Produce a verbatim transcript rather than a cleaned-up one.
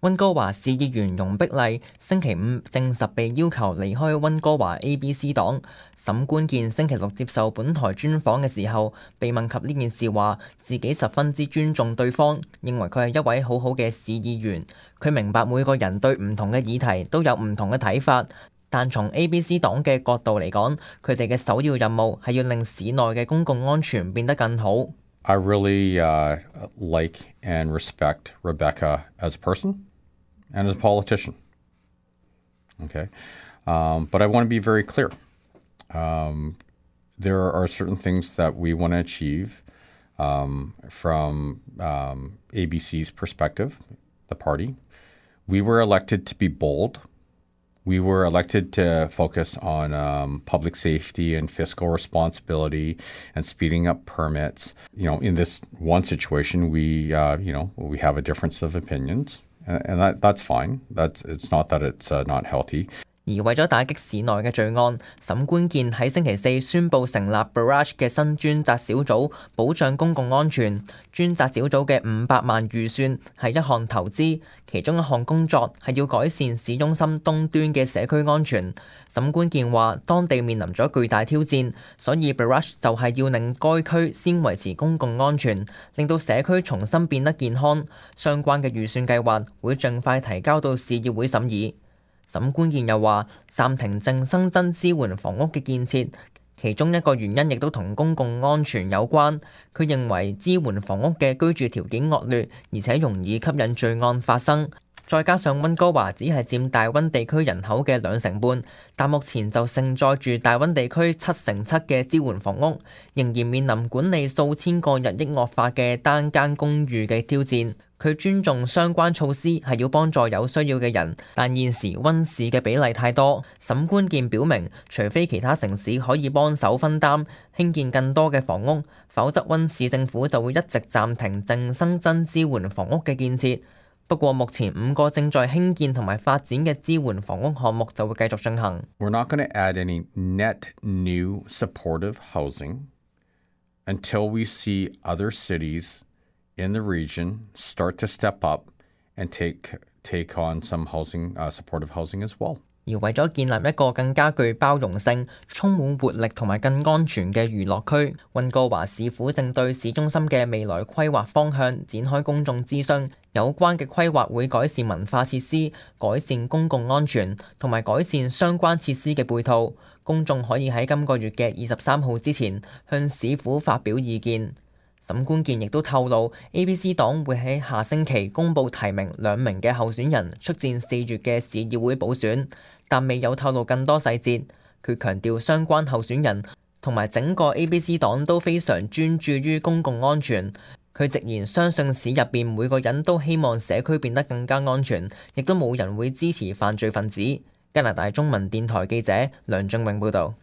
溫哥華市議員容碧麗星期五證實被要求離開溫哥華 A B C 黨。沈官健星期六接受本台專訪嘅時候，被問及呢件事話，自己十分之尊重對方，認為佢係一位好好嘅市議員。佢明白每個人對唔同嘅議題都有唔同嘅睇法，但從 A B C 黨嘅角度嚟講，佢哋嘅首要任務係要令市內嘅公共安全變得更好。I really uh, like and respect Rebecca as a person and as a politician. Okay, um, but I want to be very clear. Um, there are certain things that we want to achieve um, from um, A B C's perspective, the party. We were elected to be bold. We were elected to focus on um, public safety and fiscal responsibility and speeding up permits. You know, in this one situation, we, uh, you know, we have a difference of opinions, and, and that, that's fine. That's, it's not that it's uh, not healthy. 而為咗打擊市內嘅罪案，沈官健喺星期四宣布成立 Barrage 嘅新專責小組，保障公共安全。專責小組嘅五百萬預算係一項投資，其中一項工作係要改善市中心東端嘅社區安全。沈官健話，當地面臨咗巨大挑戰，所以 Barrage 就係要令該區先維持公共安全，令到社區重新變得健康。相關嘅預算計劃會盡快提交到市議會審議。沈官健又話，暫停淨新增支援房屋嘅建設，其中一個原因亦都同公共安全有關。佢認為支援房屋嘅居住條件惡劣，而且容易吸引罪案發生。再加上溫哥華只係佔大溫地區人口嘅兩成半，但目前就承載住大溫地區七成七嘅支援房屋，仍然面臨管理數千個日益惡化嘅單間公寓嘅挑戰。佢尊重相關措施係要幫助有需要嘅人，但現時溫市嘅比例太多。沈官健表明，除非其他城市可以幫手分擔興建更多嘅房屋，否則溫市政府就會一直暫停淨新增支援房屋嘅建設。不過目前五個正在興建同埋發展嘅支援房屋項目就會繼續進行。We're not going to add any net new supportive housing until we see other cities in the region start to step up and take take on some housing, uh, supportive housing as well. 而為咗建立一個更加具包容性、充滿活力同埋更安全嘅娛樂區，溫哥華市府正對市中心嘅未來規劃方向展開公眾諮詢。有關嘅規劃會改善文化設施、改善公共安全同埋改善相關設施嘅配套。公眾可以喺今個月嘅二十三號之前向市府發表意見。沈官健亦都透露 ，A B C 黨會喺下星期公布提名兩名嘅候選人出戰四月嘅市議會補選，但未有透露更多細節。佢強調相關候選人同埋整個 A B C 黨都非常專注於公共安全。佢直言相信市入邊每個人都希望社區變得更加安全，亦都冇人會支持犯罪分子。加拿大中文電台記者梁俊永報導。